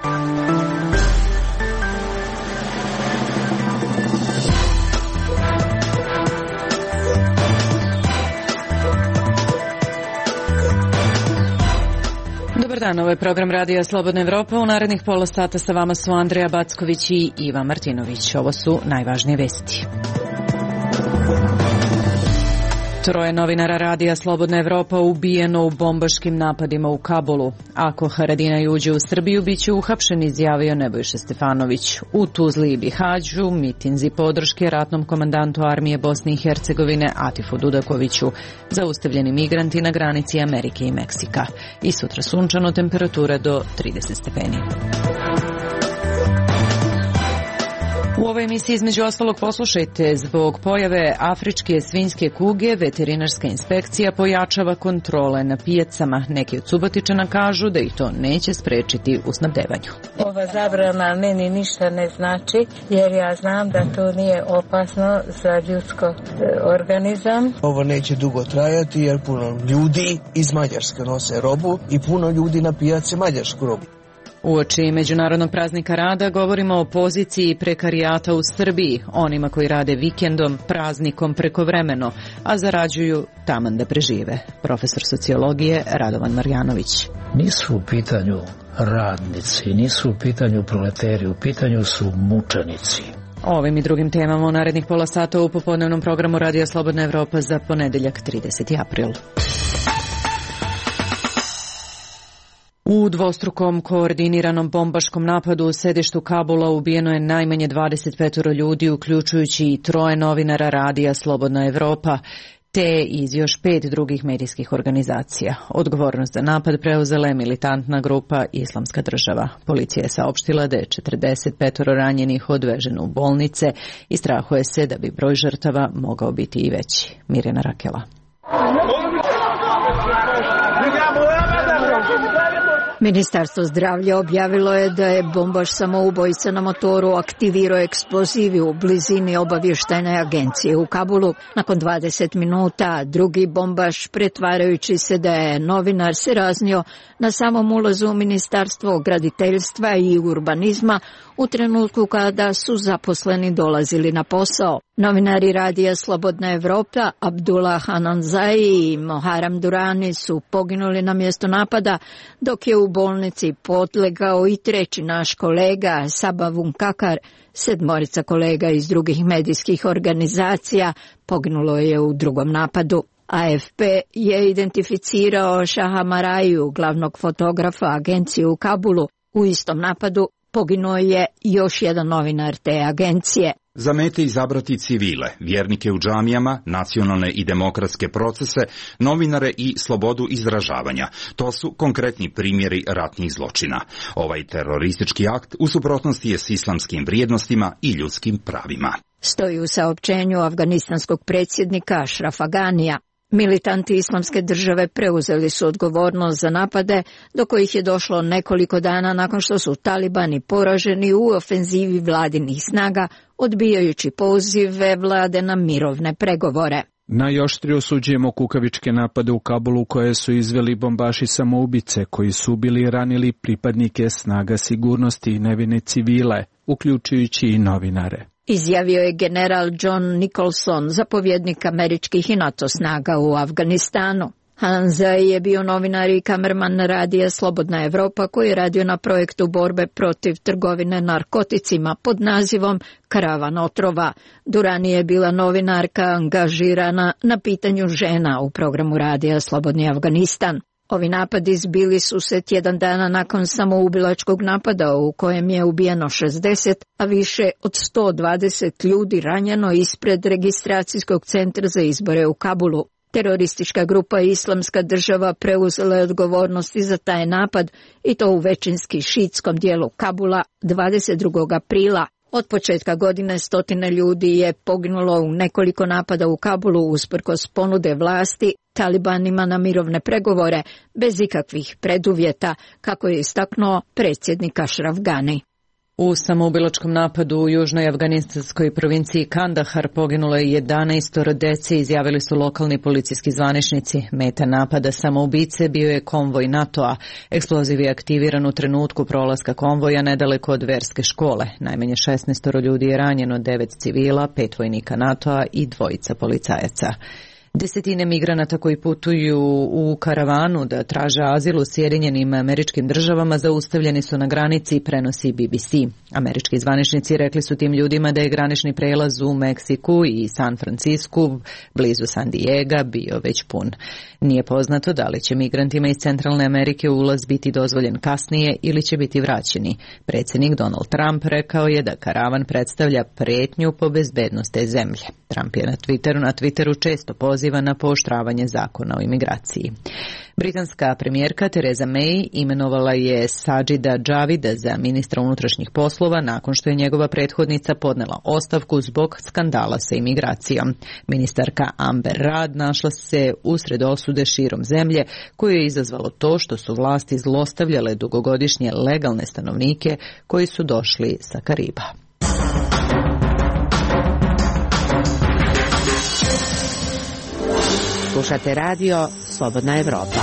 Dobar dan, ovo je program Radija Slobodna Evropa. U narednih pola sata sa vama su Andreja Backović i Iva Martinović. Ovo su najvažnije vesti. 3 novinara Radija Slobodna Evropa ubijeno u bombaškim napadima u Kabulu. Ako Haradinaj uđe u Srbiju, bit će uhapšen, izjavio Nebojša Stefanović. U Tuzli i Bihaću mitinzi podrške ratnom komandantu armije Bosne i Hercegovine Atifu Dudakoviću. Zaustavljeni migranti na granici Amerike i Meksika. I sutra sunčano, temperatura do 30 stepeni. U ovoj emisiji između ostalog poslušajte: zbog pojave afričke svinjske kuge veterinarska inspekcija pojačava kontrole na pijacama. Neki od Subotičana kažu da ih to neće sprečiti u snabdevanju. Ova zabrana meni ništa ne znači, jer ja znam da to nije opasno za ljudsko organizam. Ovo neće dugo trajati jer puno ljudi iz Mađarske nose robu i puno ljudi na pijaci mađarsku robu. Uoči Međunarodnog praznika rada govorimo o poziciji prekarijata u Srbiji, onima koji rade vikendom, praznikom, prekovremeno, a zarađuju taman da prežive. Profesor sociologije Radovan Marjanović. Nisu u pitanju radnici, nisu u pitanju proleteri, u pitanju su mučenici. Ovim i drugim temama u narednih pola sata u popodnevnom programu Radija Slobodna Evropa za ponedeljak 30. april. U dvostrukom koordiniranom bombaškom napadu u sedištu Kabula ubijeno je najmanje 25 ljudi, uključujući i 3 novinara Radija Slobodna Evropa, te iz još 5 drugih medijskih organizacija. Odgovornost za napad preuzela je militantna grupa Islamska država. Policija je saopštila da je 45 ranjenih odveženo u bolnice i strahuje se da bi broj žrtava mogao biti i veći. Mirjana Rakela. Ministarstvo zdravlja objavilo je da je bombaš samoubojica na motoru aktivirao eksplozivi u blizini obavještajne agencije u Kabulu. Nakon 20 minuta drugi bombaš, pretvarajući se da je novinar, se raznio na samom ulazu u Ministarstvo graditeljstva i urbanizma u trenutku kada su zaposleni dolazili na posao. Novinari Radija Slobodna Evropa Abdullah Hananzai i Moharam Durani su poginuli na mjestu napada, dok je u bolnici podlegao i 3. naš kolega Sabavun Kakar. 7 kolega iz drugih medijskih organizacija poginulo je u drugom napadu. AFP je identificirao Šaha Maraju, glavnog fotografa agencije u Kabulu. U istom napadu poginuo je još jedan novinar te agencije. Zamete izabrati civile, vjernike u džamijama, nacionalne i demokratske procese, novinare i slobodu izražavanja. To su konkretni primjeri ratnih zločina. Ovaj teroristički akt u suprotnosti je s islamskim vrijednostima i ljudskim pravima. Stoji u saopćenju afganistanskog predsjednika Ašrafa Ganija. Militanti Islamske države preuzeli su odgovornost za napade, do kojih je došlo nekoliko dana nakon što su talibani poraženi u ofenzivi vladinih snaga, odbijajući pozive vlade na mirovne pregovore. Najoštrije osuđujemo kukavičke napade u Kabulu koje su izveli bombaši samoubice koji su ubili i ranili pripadnike snaga sigurnosti i nevine civile, uključujući i novinare. Izjavio je general John Nicholson, zapovjednik američkih i NATO snaga u Afganistanu. Hanzai je bio novinar i kamerman Radija Slobodna Evropa koji je radio na projektu borbe protiv trgovine narkoticima pod nazivom Karavan otrova. Durani je bila novinarka angažirana na pitanju žena u programu Radija Slobodni Afganistan. Ovi napadi zbili su se tjedan dana nakon samoubilačkog napada u kojem je ubijeno 60, a više od 120 ljudi ranjeno ispred registracijskog centra za izbore u Kabulu. Teroristička grupa Islamska država preuzela je odgovornosti za taj napad i to u većinski šiitskom dijelu Kabula 22. aprila. Od početka godine 100 ljudi je poginulo u nekoliko napada u Kabulu usprkos ponude vlasti talibanima na mirovne pregovore bez ikakvih preduvjeta, kako je istaknuo predsjednik Ašraf Gani. U samoubilačkom napadu u južnoj afganistanskoj provinciji Kandahar poginulo je 11 dece, izjavili su lokalni policijski zvaničnici. Meta napada samoubice bio je konvoj NATO-a. Eksploziv je aktiviran u trenutku prolaska konvoja nedaleko od verske škole. Najmanje 16 ljudi je ranjeno, 9 civila, 5 vojnika NATO-a i 2 policajaca. Desetine migranata koji putuju u karavanu da traže azil u Sjedinjenim Američkim Državama zaustavljeni su na granici, prenosi BBC. Američki zvaničnici rekli su tim ljudima da je granični prelaz u Meksiku i San Francisku, blizu San Diega, bio već pun. Nije poznato da li će migrantima iz Centralne Amerike ulaz biti dozvoljen kasnije ili će biti vraćeni. Predsjednik Donald Trump rekao je da karavan predstavlja pretnju po bezbednost te zemlje. Trump je na Twitteru često poziva na pooštravanje zakona o imigraciji. Britanska premijerka Theresa May imenovala je Sajida Javida za ministra unutrašnjih poslova nakon što je njegova prethodnica podnela ostavku zbog skandala sa imigracijom. Ministarka Amber Rudd našla se usred osude širom zemlje, koju je izazvalo to što su vlasti zlostavljale dugogodišnje legalne stanovnike koji su došli sa Kariba. Slušate radio Slobodna Evropa.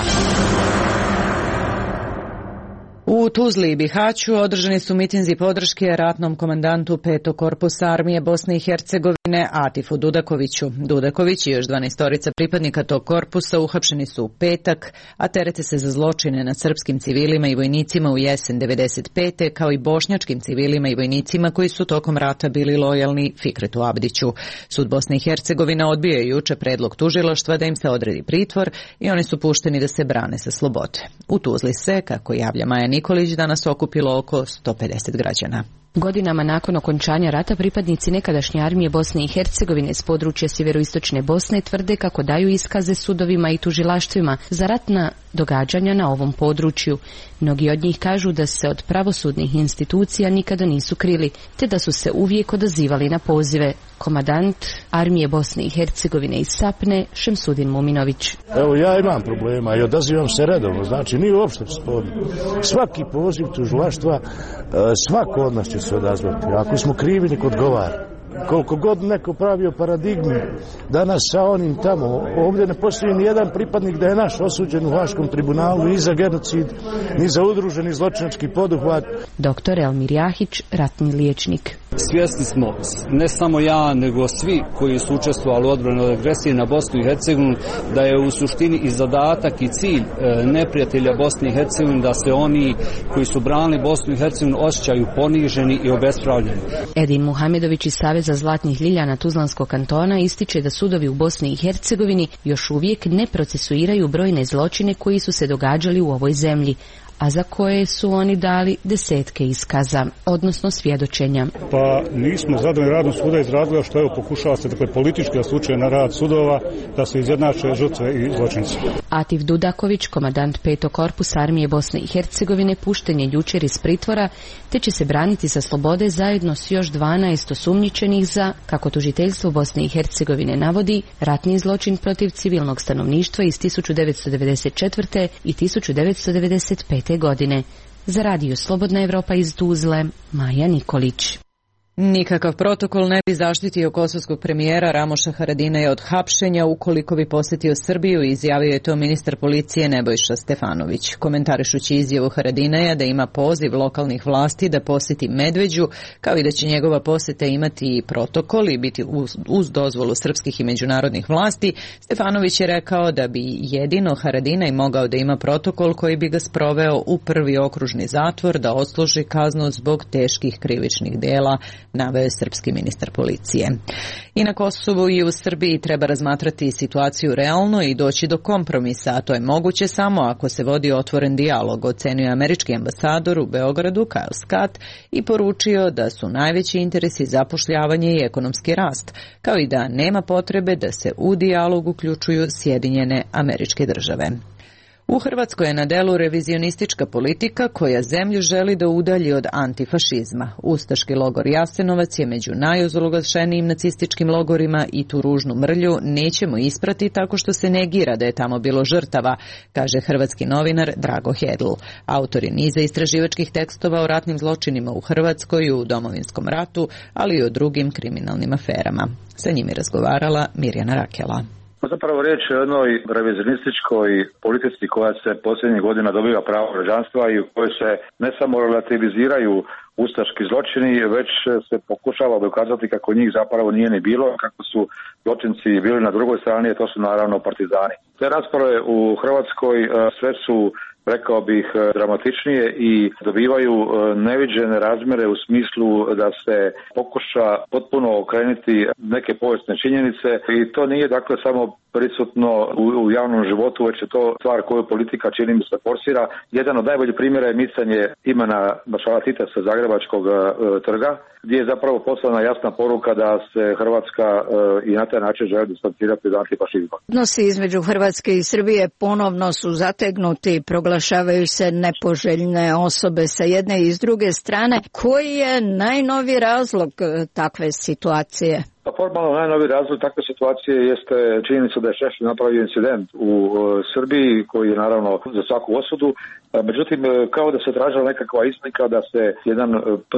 U Tuzli i Bihaću održani su mitinzi podrške ratnom komandantu 5. korpusa armije Bosne i Hercegovine Atifu Dudakoviću. Dudaković i još 12 pripadnika tog korpusa uhapšeni su u petak, a terete se za zločine nad srpskim civilima i vojnicima u jesen 95. kao i bošnjačkim civilima i vojnicima koji su tokom rata bili lojalni Fikretu Abdiću. Sud Bosne i Hercegovine odbio je juče predlog tužilaštva da im se odredi pritvor i oni su pušteni da se brane sa slobode. U Tuzli se, kako javlja Maja Nikolić, danas okupilo oko 150 građana. Godinama nakon okončanja rata pripadnici nekadašnje armije Bosne i Hercegovine s područja sjeveroistočne Bosne tvrde kako daju iskaze sudovima i tužilaštvima za ratna događanja na ovom području. Mnogi od njih kažu da se od pravosudnih institucija nikada nisu krili, te da su se uvijek odazivali na pozive. Komandant armije Bosne i Hercegovine iz Sapne, Šemsudin Muminović. Evo, ja imam problema i odazivam se redovno, znači nije uopšte sporno. Svaki poziv tužilaštva, svako od nas će se odazvati. Ako smo krivi, nek odgovara. Koliko god neko pravio paradigmu danas sa onim tamo, ovdje ne postoji ni jedan pripadnik da je naš osuđen u Haškom tribunalu ni za genocid, ni za udruženi zločinački poduhvat. Doktor Elmir Jahić, ratni liječnik. Svjesni smo, ne samo ja, nego svi koji su učestvovali u odbrani od agresije na Bosnu i Hercegovinu, da je u suštini i zadatak i cilj neprijatelja Bosne i Hercegovine da se oni koji su branili Bosnu i Hercegovinu osjećaju poniženi i obespravljeni. Edin Muhamedović iz Saveza Zlatnih Ljiljana Tuzlanskog kantona ističe da sudovi u Bosni i Hercegovini još uvijek ne procesuiraju brojne zločine koji su se događali u ovoj zemlji, a za koje su oni dali desetke iskaza, odnosno svjedočenja. Pa nismo zadovoljni radom suda iz razloga što pokušava se politički slučaj na rad sudova da se izjednače žrtve i zločinci. Atif Dudaković, komandant 5. korpusa armije Bosne i Hercegovine, pušten je jučer iz pritvora, te će se braniti sa slobode zajedno s još 12 osumnjičenih za, kako tužiteljstvo Bosne i Hercegovine navodi, ratni zločin protiv civilnog stanovništva iz 1994. i 1995. godine. Za radio Slobodna Evropa iz Tuzle, Maja Nikolić. Nikakav protokol ne bi zaštitio kosovskog premijera Ramoša Haradinaja od hapšenja ukoliko bi posjetio Srbiju, izjavio je to ministar policije Nebojša Stefanović. Komentarišući izjavu Haradinaja da ima poziv lokalnih vlasti da posjeti Medveđu, kao i da će njegova posjeta imati protokol i biti uz dozvolu srpskih i međunarodnih vlasti, Stefanović je rekao da bi jedino Haradinaj mogao da ima protokol koji bi ga sproveo u prvi okružni zatvor da odsluži kaznu zbog teških krivičnih dela, naveo je srpski ministar policije. I na Kosovu i u Srbiji treba razmatrati situaciju realno i doći do kompromisa, a to je moguće samo ako se vodi otvoren dijalog, ocenio američki ambasador u Beogradu Kyle Scott i poručio da su najveći interesi zapošljavanje i ekonomski rast, kao i da nema potrebe da se u dijalog uključuju Sjedinjene Američke Države. U Hrvatskoj je na delu revizionistička politika koja zemlju želi da udalji od antifašizma. Ustaški logor Jasenovac je među najozloglašenijim nacističkim logorima i tu ružnu mrlju nećemo isprati tako što se negira da je tamo bilo žrtava, kaže hrvatski novinar Drago Hedl. Autor je niza istraživačkih tekstova o ratnim zločinima u Hrvatskoj i u Domovinskom ratu, ali i o drugim kriminalnim aferama. Sa njim je razgovarala Mirjana Rakela. Zapravo riječ je o jednoj revizionističkoj politici koja se posljednjih godina dobiva pravo građanstva i u kojoj se ne samo relativiziraju ustaški zločini, već se pokušava dokazati kako njih zapravo nije ni bilo, kako su zločinci bili na drugoj strani, a to su naravno partizani. Te rasprave u Hrvatskoj sve su, rekao bih, dramatičnije i dobivaju neviđene razmjere u smislu da se pokuša potpuno okrenuti neke povijesne činjenice i to nije dakle samo prisutno u javnom životu, već je to stvar koju politika čini mi se forsira. Jedan od najboljih primjera je micanje imena maršala Tita sa Zagrebačkog trga, gdje je zapravo poslana jasna poruka da se Hrvatska i na taj način želi distancirati od antifašizma. Odnosi između Hrvatske i Srbije ponovno su zategnuti, proglašavaju se nepoželjne osobe sa jedne i s druge strane. Koji je najnoviji razlog takve situacije? Pa formalno najnoviji razlog takve situacije jeste činjenica da je Šešelj napravio incident u Srbiji koji je naravno za svaku osudu. Međutim, kao da se tražila nekakva izlika da se jedan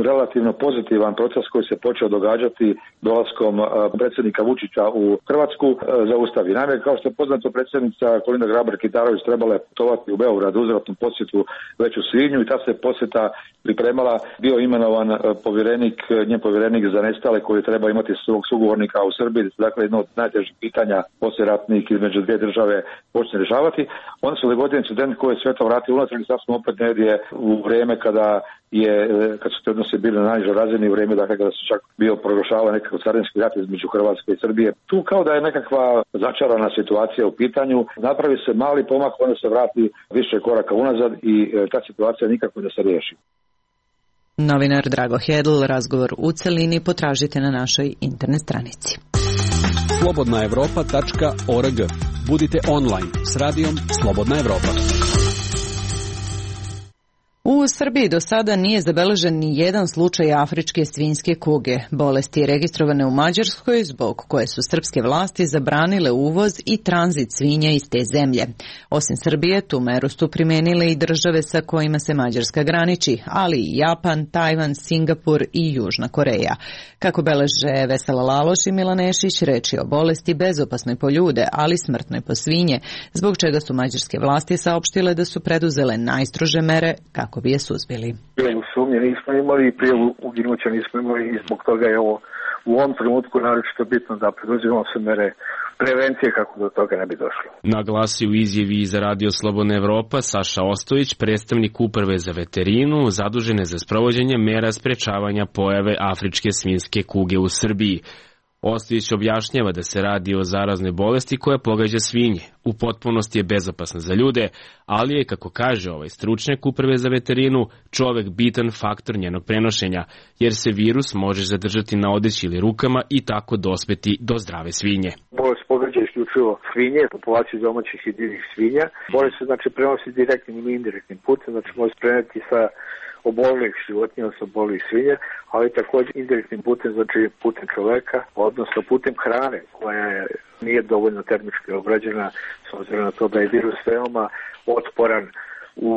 relativno pozitivan proces koji se počeo događati dolaskom predsjednika Vučića u Hrvatsku zaustavi. Naime, kao što je poznato, predsjednica Kolinda Grabar-Kitarović trebala je putovati u Beograd uzvratnu posjetu već u svibnju i ta se posjeta pripremala, bio imenovan njen povjerenik za nestale koji treba imati svog sugovornika u Srbiji, dakle jedno od najtežih pitanja poslijeratnih između dvije države počne rješavati. Onda se dogodio incident koji je sve to vratio unatrag i sad smo opet negdje u vrijeme kad su te odnose bili na najnižoj razini, u vrijeme dakle kada se čak bio proglašavao nekakav carinski rat između Hrvatske i Srbije. Tu kao da je nekakva začarana situacija u pitanju, napravi se mali pomak, onda se vrati više koraka unazad i ta situacija nikako da se riješi. Novinar Drago Hedl, razgovor u celini potražite na našoj internet stranici. slobodnaevropa.org. Budite online s radijom Slobodna Evropa. U Srbiji do sada nije zabeležen ni jedan slučaj afričke svinjske kuge, bolesti registrovane u Mađarskoj zbog koje su srpske vlasti zabranile uvoz i tranzit svinja iz te zemlje. Osim Srbije, tu meru su primenile i države sa kojima se Mađarska graniči, ali i Japan, Tajvan, Singapur i Južna Koreja. Kako beleže Vesela Laloš i Milan Nešić, reč je o bolesti bezopasnoj po ljude, ali smrtnoj po svinje, zbog čega su mađarske vlasti saopštile da su preduzele najstrože mere kako bi je suzbili. Prijavu sumnje nismo imali i prijavu uginuća nismo imali i zbog toga je ovo u ovom trenutku naročito bitno da preduzimamo se mere prevencije kako do toga ne bi došlo. Naglasi u izjavi za Radio Slobodna Evropa Saša Ostojić, predstavnik Uprave za veterinu, zadužene za sprovođenje mera sprečavanja pojave afričke svinjske kuge u Srbiji. Ostojić objašnjava da se radi o zaraznoj bolesti koja pogađa svinje. U potpunosti je bezopasna za ljude, ali je, kako kaže ovaj stručnjak Uprave za veterinu, čovek bitan faktor njenog prenošenja, jer se virus može zadržati na odeći ili rukama i tako dospeti do zdrave svinje. Bolest pogađa isključivo svinje, populaciju domaćih i divljih svinja. Bolest se prenosi direktnim ili indirektnim putem, može se preneti sa obolelih životinja, sa obolelih svinja, ali također indirektnim putem, putem čoveka, odnosno putem hrane koja nije dovoljno termički obrađena, s obzirom na to da je virus veoma otporan u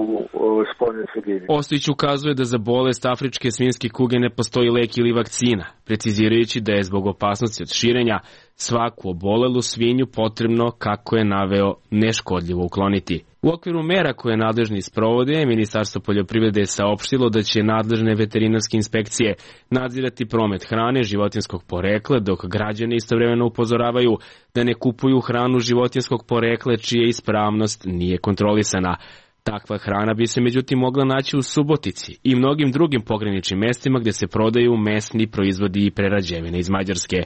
spoljnoj sredini. Ostojić ukazuje da za bolest afričke svinjske kuge ne postoji lek ili vakcina, precizirajući da je zbog opasnosti od širenja svaku obolelu svinju potrebno, kako je naveo, neškodljivo ukloniti. U okviru mera koje nadležni sprovode, Ministarstvo poljoprivrede je saopštilo da će nadležne veterinarske inspekcije nadzirati promet hrane životinjskog porekla, dok građani istovremeno upozoravaju da ne kupuju hranu životinjskog porekla čija ispravnost nije kontrolisana. Takva hrana bi se međutim mogla naći u Subotici i mnogim drugim pograničnim mestima gdje se prodaju mesni proizvodi i prerađevine iz Mađarske.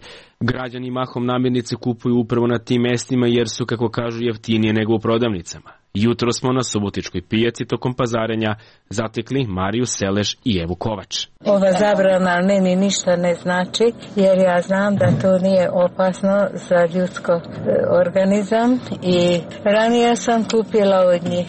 Građani mahom namirnice kupuju upravo na tim mestima jer su, kako kažu, jeftinije nego u prodavnicama. Jutro smo na Subotičkoj pijaci tokom pazarenja zatekli Mariju Seleš i Evu Kovač. Ova zabrana meni ništa ne znači, jer ja znam da to nije opasno za ljudsko organizam i ranije sam kupila od njih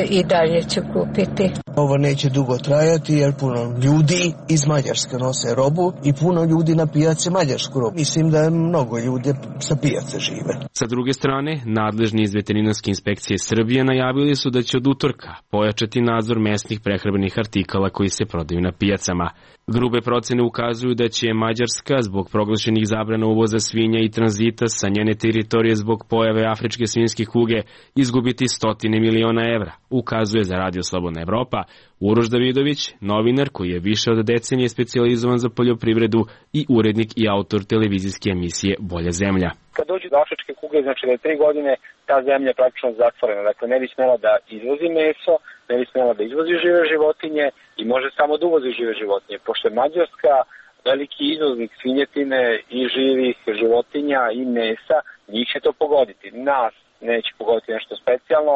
i dalje ću kupiti. Ovo neće dugo trajati jer puno ljudi iz Mađarske nose robu i puno ljudi na pijaci mađarsku robu. Mislim da je mnogo ljudi sa pijace žive. Sa druge strane, nadležni iz Veterinarske inspekcije Srbije najavili su da će od utorka pojačati nadzor mesnih prehrambenih artikala koji se prodaju na pijacama. Grube procene ukazuju da će Mađarska zbog proglašenih zabrana uvoza svinja i tranzita sa njene teritorije zbog pojave afričke svinjske kuge izgubiti 100 miliona evra, ukazuje za Radio Slobodna Evropa Uroš Davidović, novinar koji je više od decenije specijalizovan za poljoprivredu i urednik i autor televizijske emisije Bolja zemlja. Kad dođe do afričke kuge, znači da je 3 godine ta zemlja je praktično zatvorena. Dakle, ne bi smela da izvozi meso, ne bi smela da izvozi žive životinje i može samo da uvozi žive životinje. Pošto je Mađarska veliki izvoznik svinjetine i živih životinja i mesa, njih će to pogoditi. Nas neće pogoditi nešto specijalno.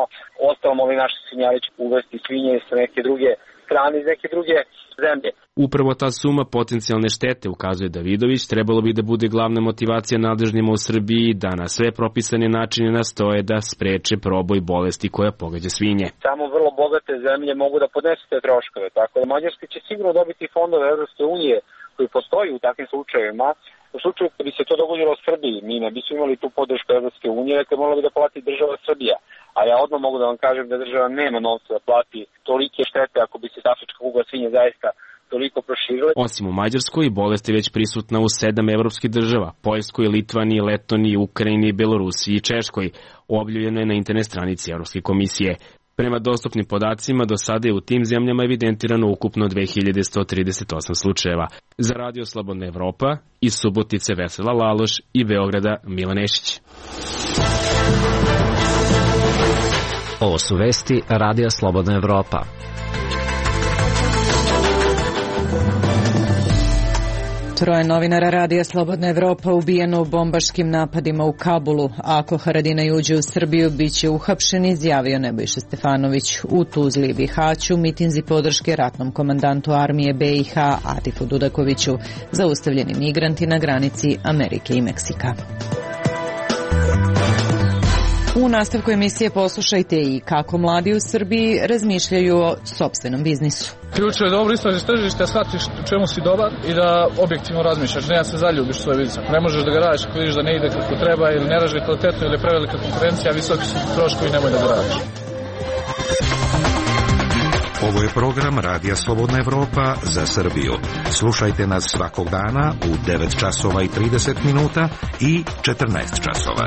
Ostalom, ovi naši svinjari će uvesti svinje sa neke druge strane, iz neke druge zemlje. Upravo ta suma potencijalne štete, ukazuje Davidović, trebalo bi da bude glavna motivacija nadležnima u Srbiji da na sve propisane načine nastoje da spreče proboj bolesti koja pogađa svinje. Samo vrlo bogate zemlje mogu da podnesu te troškove, tako da Mađarska će sigurno dobiti fondove Evropske unije koji postoji u takvim slučajevima. U slučaju kad bi se to dogodilo u Srbiji, mi ne bismo imali tu podršku Evropske unije, dakle morala bi da plati država Srbija. A ja odmah mogu da vam kažem da država nema novca da plati tolike štete ako bi se afrička kuga svinja zaista toliko proširila. Osim u Mađarskoj, bolest je već prisutna u 7 evropskih država, Poljskoj, Litvaniji, Letoniji, Ukrajini, Belorusiji i Češkoj. Objavljeno je na internet stranici Evropske komisije. Prema dostupnim podacima, do sada je u tim zemljama evidentirano ukupno 2138 slučajeva. Za Radio Slobodna Evropa, iz Subotice Vesela Laloš i Beograda Milan Nešić. Ovo su vesti Radija Slobodna Evropa. Troje novinara Radija Slobodna Evropa ubijeno u bombaškim napadima u Kabulu. Ako Haradinaj uđe u Srbiju, bit će uhapšen, izjavio Nebojša Stefanović. U Tuzli i Bihaću mitinzi podrške ratnom komandantu armije BiH Atifu Dudakoviću, zaustavljeni migranti na granici Amerike i Meksika. U nastavku emisije poslušajte i kako mladi u Srbiji razmišljaju o sopstvenom biznisu. Ključno je dobro istražiš tržište, shvatiš u čemu si dobar i da objektivno razmišljaš, ne da se zaljubiš u svoj biznis. Ako ne možeš da ga radiš, ako vidiš da ne ide kako treba ili ne radiš kvalitetno ili je prevelika konkurencija, visoki su troškovi, nemoj da ga radiš. Ovo je program Radija Slobodna Evropa za Srbiju. Slušajte nas svakog dana u 9 časova i 30 minuta i 14 časova.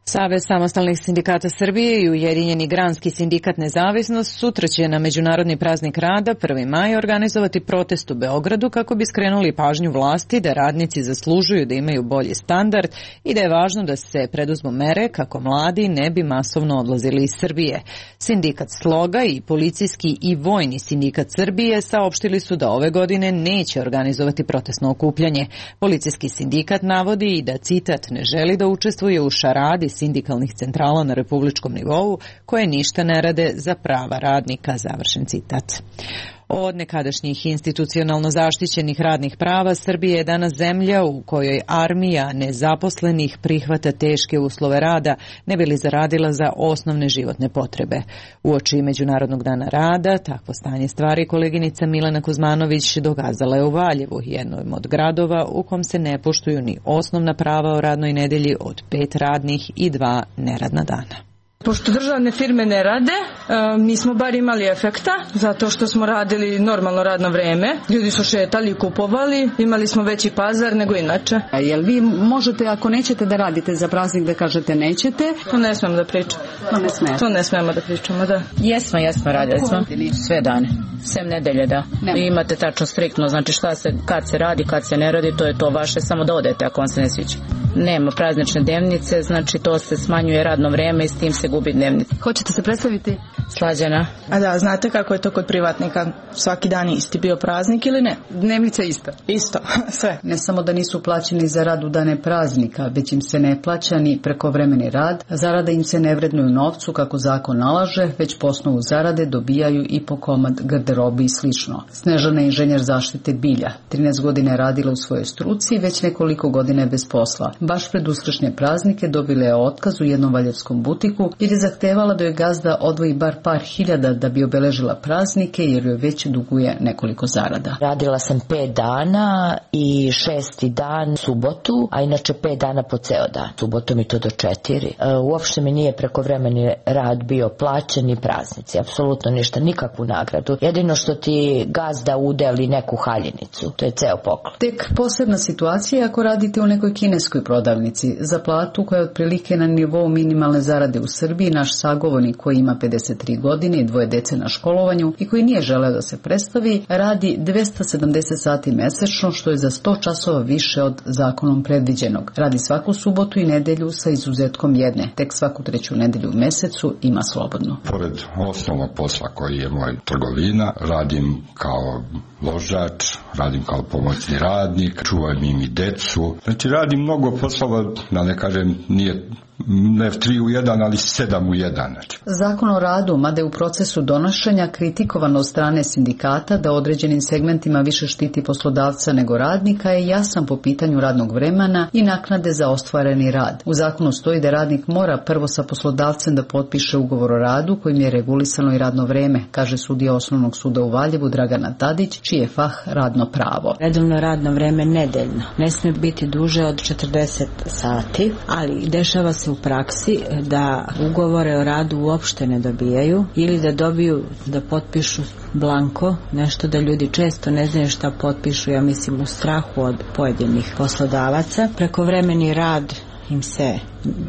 Savez samostalnih sindikata Srbije i Ujedinjeni granski sindikat Nezavisnost sutra će na Međunarodni praznik rada 1. maj organizovati protest u Beogradu kako bi skrenuli pažnju vlasti da radnici zaslužuju da imaju bolji standard i da je važno da se preduzmu mere kako mladi ne bi masovno odlazili iz Srbije. Sindikat Sloga i Policijski i Vojni sindikat Srbije saopštili su da ove godine neće organizovati protestno okupljanje. Policijski sindikat navodi i da, citat, ne želi da učestvuje u šaradi sindikalnih centrala na republičkom nivou koje ništa ne rade za prava radnika, završen citat. Od nekadašnjih institucionalno zaštićenih radnih prava Srbija je danas zemlja u kojoj armija nezaposlenih prihvata teške uslove rada ne bi li zaradila za osnovne životne potrebe. Uoči Međunarodnog dana rada takvo stanje stvari koleginica Milena Kuzmanović dokazala je u Valjevu, jednom od gradova u kom se ne poštuju ni osnovna prava o radnoj nedelji od 5 radnih i 2 neradna dana. Pošto državne firme ne rade, mi smo bar imali efekta, zato što smo radili normalno radno vreme. Ljudi su šetali i kupovali, imali smo veći pazar nego inače. A jel vi možete, ako nećete da radite za praznik, da kažete nećete? To ne smemo da pričamo. To ne smemo da pričamo, da. Jesmo, radili smo sve dane. Sem nedelje, da. I imate tačno striktno, znači kad se radi, kad se ne radi, to je to vaše, samo da odete ako vam se ne sviđa. Nema praznične dnevnice, znači to se smanjuje radno vreme i s tim se gubi dnevnica. Hoćete se predstaviti? Slađana. A da, znate kako je to kod privatnika? Svaki dan isti bio praznik ili ne? Dnevnica ista? Isto, sve. Ne samo da nisu plaćeni za rad u dane praznika, već im se ne plaća ni prekovremeni rad, zarada im se ne vrednuju novcu kako zakon nalaže, već po osnovu zarade dobijaju i po komad garderobe i slično. Snežana je inženjer zaštite bilja. 13 godina je radila u svojoj struci i već nekoliko godina je bez posla. Baš pred uskršnje praznike dobila je otkaz u jednom valjevskom butiku jer je zahtevala da joj gazda odvoji bar par hiljada da bi obeležila praznike jer joj već duguje nekoliko zarada. Radila sam 5 dana i 6. dan subotu, a inače 5 dana po ceo dan. Subotom i to do 4. Uopšte mi nije prekovremeni rad bio plaćen ni praznici, apsolutno ništa, nikakvu nagradu. Jedino što ti gazda udeli neku haljinicu, to je ceo poklon. Tek posebna situacija ako radite u nekoj kineskoj prodavnici. Za platu koja je otprilike na nivou minimalne zarade u Srbiji, naš sagovornik koji ima 53 godine i 2 dece na školovanju i koji nije želeo da se predstavi, radi 270 sati mesečno, što je za 100 časova više od zakonom predviđenog. Radi svaku subotu i nedelju sa izuzetkom jedne. Tek svaku 3. nedelju u mesecu ima slobodno. Pored osnovnog posla koji je moj trgovina, radim kao ložač, radim kao pomoćni radnik, čuvam im i decu. Znači radim mnogo poslova, da ne kažem, nije ne 3 u 1, ali 7 u 1. Znači. Zakon o radu, mada je u procesu donošenja kritikovano od strane sindikata da određenim segmentima više štiti poslodavca nego radnika, je jasan po pitanju radnog vremena i naknade za ostvareni rad. U zakonu stoji da radnik mora prvo sa poslodavcem da potpiše ugovor o radu kojim je regulisano i radno vreme, kaže sudija Osnovnog suda u Valjevu Dragana Tadić, čiji je fah radno pravo. Redovno radno vreme nedeljno ne smije biti duže od 40 sati, ali dešava se u praksi da ugovore o radu uopšte ne dobijaju ili da dobiju da potpišu blanko, nešto da ljudi često ne znaju šta potpišu, ja mislim u strahu od pojedinih poslodavaca. Prekovremeni rad im se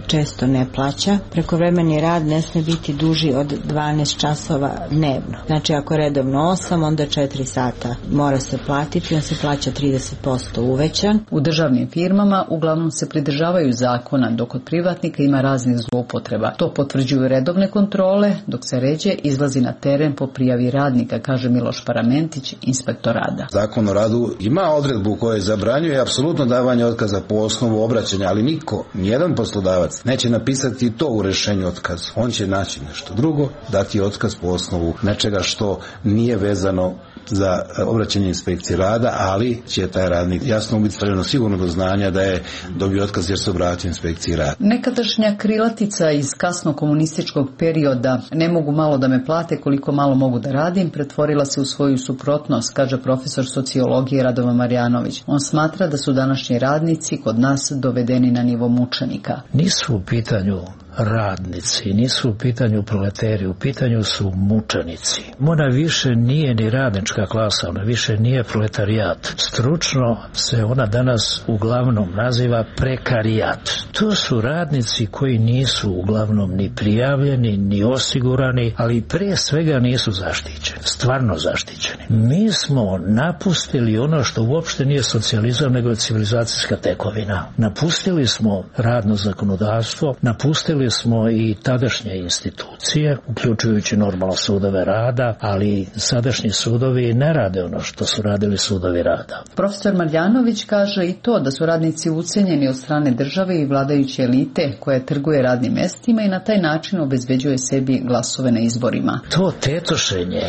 često ne plaća. Prekovremeni rad ne smije biti duži od 12 časova dnevno. Znači ako je redovno 8, onda 4 sata mora se platiti, on se plaća 30% uvećan. U državnim firmama uglavnom se pridržavaju zakona, dok od privatnika ima raznih zloupotreba. To potvrđuju redovne kontrole, dok se ređe izlazi na teren po prijavi radnika, kaže Miloš Paramentić, inspektor rada. Zakon o radu ima odredbu koja zabranjuje apsolutno davanje otkaza po osnovu obraćanja, ali niko, nijedan poslodavac neće napisati to u rešenju otkaz. On će naći nešto drugo, dati otkaz po osnovu nečega što nije vezano za obraćanje inspekcije rada, ali će taj radnik jasno biti stavljeno sigurno do znanja da je dobio otkaz jer se obratio inspekciji rada. Nekadašnja krilatica iz kasno komunističkog perioda "ne mogu malo da me plate koliko malo mogu da radim" pretvorila se u svoju suprotnost, kaže profesor sociologije Radovan Marjanović. On smatra da su današnji radnici kod nas dovedeni na nivo mučenika. Nisu u pitanju radnici, nisu u pitanju proleteri, u pitanju su mučenici. Ona više nije ni radnička klasa, ona više nije proletarijat. Stručno se ona danas uglavnom naziva prekarijat. To su radnici koji nisu uglavnom ni prijavljeni, ni osigurani, ali prije svega nisu zaštićeni, stvarno zaštićeni. Mi smo napustili ono što uopšte nije socijalizam, nego je civilizacijska tekovina. Napustili smo radno zakonodavstvo, napustili smo i tadašnje institucije, uključujući normalno sudove rada, ali sadašnji sudovi ne rade ono što su radili sudovi rada. Profesor Marjanović kaže i to da su radnici ucenjeni od strane države i vladajuće elite koja trguje radnim mestima i na taj način obezbeđuje sebi glasove na izborima. To tetošenje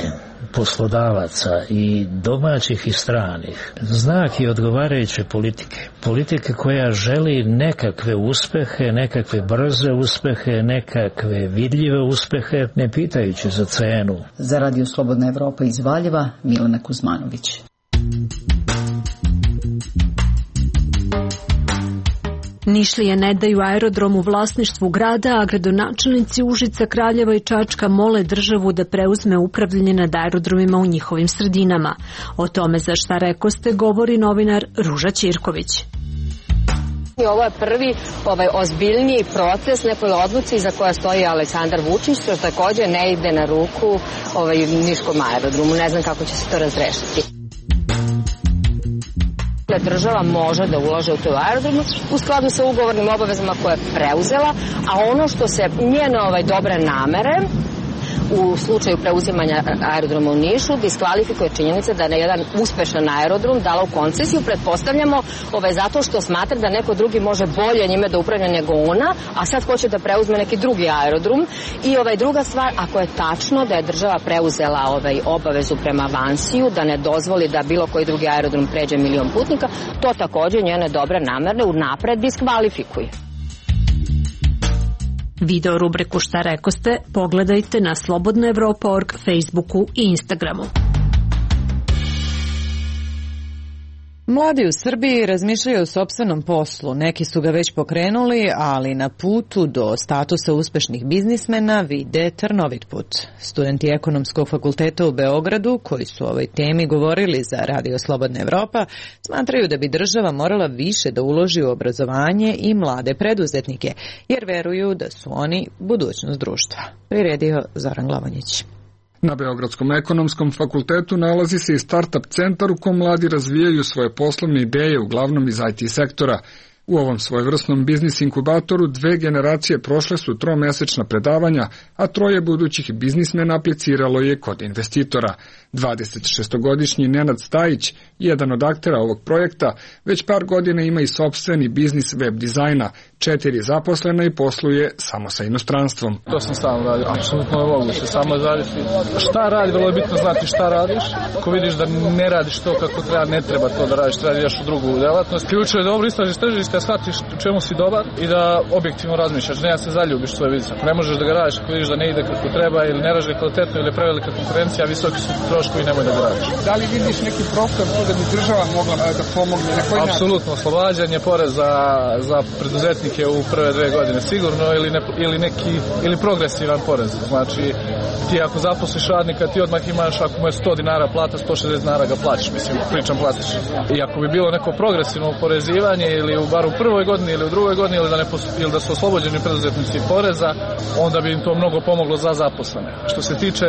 poslodavaca i domaćih i stranih znak je odgovarajuće politike. Politike koja želi nekakve uspehe, nekakve brze uspehe, nekakve vidljive uspehe, ne pitajući za cenu. Za Radio Slobodna Evropa iz Valjeva, Milena Kuzmanović. Nišlije ne daju aerodrom u vlasništvu grada, a gradonačelnici Užica, Kraljeva i Čačka mole državu da preuzme upravljanje nad aerodromima u njihovim sredinama. O tome za šta rekoste govori novinar Ruža Ćirković. Ovo je prvi ozbiljniji proces nekoj odluci za koja stoji Aleksandar Vučić, što također ne ide na ruku Niškom aerodromu. Ne znam kako će se to razrešiti. Država može da ulaže u tu aerodromu u skladu sa ugovornim obavezama koje je preuzela, a ono što se njene dobre namere u slučaju preuzimanja aerodroma u Nišu diskvalifikuje činjenica da je na jedan uspešan aerodrom dala u koncesiju, pretpostavljamo zato što smatra da neko drugi može bolje njime da upravlja nego ona, a sad hoće da preuzme neki drugi aerodrom. I druga stvar, ako je tačno da je država preuzela obavezu prema Vansiju, da ne dozvoli da bilo koji drugi aerodrom pređe 1.000.000 putnika, to takođe njene dobre namerne unapred diskvalifikuje. Video rubriku Šta rekoste pogledajte na slobodnaevropa.org, Facebooku i Instagramu. Mladi u Srbiji razmišljaju o sopstvenom poslu. Neki su ga već pokrenuli, ali na putu do statusa uspešnih biznismena vide trnovit put. Studenti Ekonomskog fakulteta u Beogradu, koji su o ovoj temi govorili za Radio Slobodna Evropa, smatraju da bi država morala više da uloži u obrazovanje i mlade preduzetnike, jer veruju da su oni budućnost društva. Priredio Zoran Glavonjić. Na Beogradskom ekonomskom fakultetu nalazi se i startup centar u kom mladi razvijaju svoje poslovne ideje, uglavnom iz IT sektora. U ovom svojevrsnom biznis inkubatoru 2 generacije prošle su 3-mesečna predavanja, a 3 budućih biznismena apliciralo je kod investitora. 26-godišnji Nenad Stajić, jedan od aktera ovog projekta, već par godina ima i sopstveni biznis web dizajna, 4 zaposlena i posluje samo sa inostranstvom. To sam sam radio, apsolutno je moguće, samo zavisi šta radi, vrlo je bitno znati šta radiš. Ako vidiš da ne radiš to kako treba, ne treba to da radiš, treba da ideš u drugu delatnost. Ključno je dobro istražiš tržište, shvatiš u čemu si dobar i da objektivno razmišljaš, ne da se zaljubiš svoj biznis. Ako ne možeš da ga radiš, ako vidiš da ne ide kako treba ili ne radiš kvalitetno ili je prevelika konkurencija, visoki su troškovi, nemoj da ga radiš. Da li vidiš neki prostor da bi država mogla da pomogne? Apsolutno, oslobađanje poreza za preduzetnike u prve 2 godine sigurno ili progresivan porez. Znači, ti ako zaposliš radnika, ti odmah imaš, ako mu je 100 dinara plata, 160 dinara ga plaćaš, mislim, pričam plastično. I ako bi bilo neko progresivno oporezivanje ili bar u prvoj godini ili u drugoj godini ili da su oslobođeni preduzetnici poreza, onda bi im to mnogo pomoglo za zaposlene. Što se tiče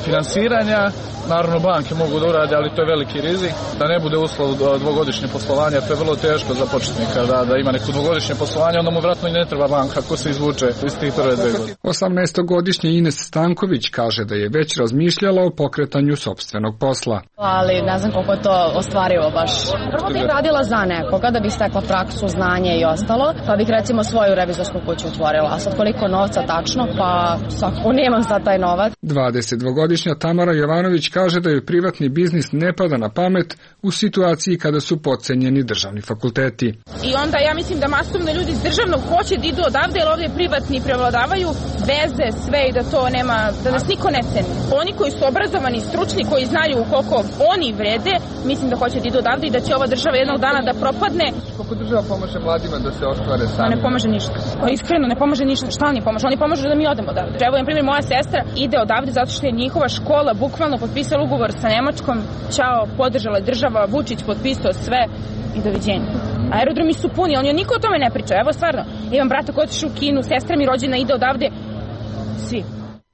finansiranja, naravno banke mogu da urade, ali to je veliki rizik. Da ne bude uslov 2-godišnje poslovanja, to je vrlo teško za početnika, da ima neko 2-godišnje poslovanje, onda mu vratno i ne treba banka ako se izvuče iz tih prve 2 godine. 18-godišnji Ines Stanković kaže da je već razmišljala o pokretanju sopstvenog posla. Ali ne znam koliko je to ostvarivo baš. Prvo bih radila za nekoga da bih stekla praksu, znanje i ostalo, pa bih recimo svoju revizorsku kuću otvorila. A sad koliko novca tačno, pa svakako nemam sad taj novac. 22-godišnja Tamara Jovanović kaže da joj privatni biznis ne pada na pamet u situaciji kada su podcenjeni državni fakulteti. I onda ja mislim da masovno ljudi iz državnog hoće da idu odavde, jer ovdje privatni prevladavaju veze, sve i da to nema, da nas niko ne ceni. Oni koji su obrazovani, stručni, koji znaju koliko oni vrede, mislim da hoće da idu odavde i da će ova država jednog dana da propadne. Koliko država pomaže mladima da se ostvare sami? Ne pomaže ništa. Iskreno, ne pomaže ništa. Šta oni pomažu? Oni pomažu da mi odemo odavde. Evo, na primjer, moja sestra ide odavde zato što je njihova škola bukvalno potpisala ugovor sa Nemačkom. Ćao, podržala država, Vučić potpisao sve i doviđenja. Aerodromi su puni, ali niko o tome ne priča. Evo, stvarno, imam brata koji otišao u Kinu, sestra mi rođena ide odavde. Svi.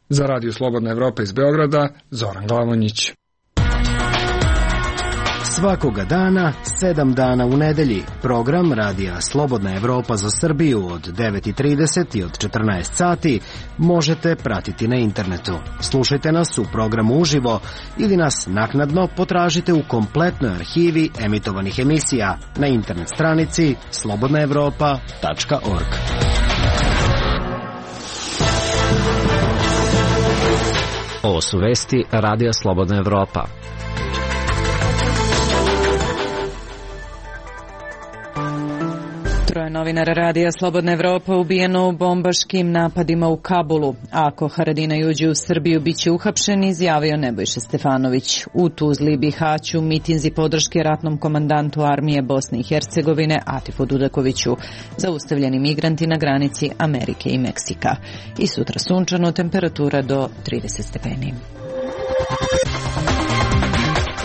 Za Radio Slobodna Evropa iz Beograda, Zoran Glavonjić. Svakoga dana, 7 dana u nedelji, program Radija Slobodna Evropa za Srbiju od 9:30 i od 14 sati možete pratiti na internetu. Slušajte nas u programu uživo ili nas naknadno potražite u kompletnoj arhivi emitovanih emisija na internet stranici slobodnaevropa.org. Ovo su vesti Radija Slobodna Evropa. Troje novinara Radija Slobodna Evropa ubijeno u bombaškim napadima u Kabulu. Ako Haradinaj uđe u Srbiju, bit će uhapšen, izjavio Nebojša Stefanović. U Tuzli i Bihaću mitinzi podrške ratnom komandantu armije Bosne i Hercegovine Atifu Dudakoviću. Zaustavljeni migranti na granici Amerike i Meksika. I sutra sunčano, temperatura do 30 stepeni.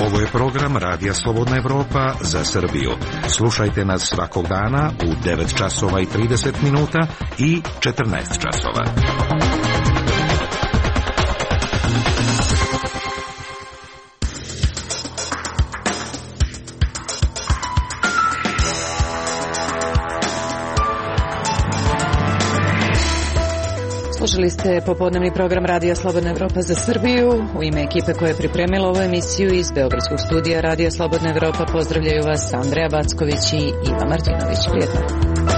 Ovo je program Radija Slobodna Evropa za Srbiju. Slušajte nas svakog dana u 9 časova i 30 minuta i 14 časova. Slušali ste popodnevni program Radija Slobodna Evropa za Srbiju. U ime ekipe koja je pripremila ovu emisiju iz Beogradskog studija Radija Slobodna Evropa pozdravljaju vas Andreja Backović i Iva Martinović. Prijetno.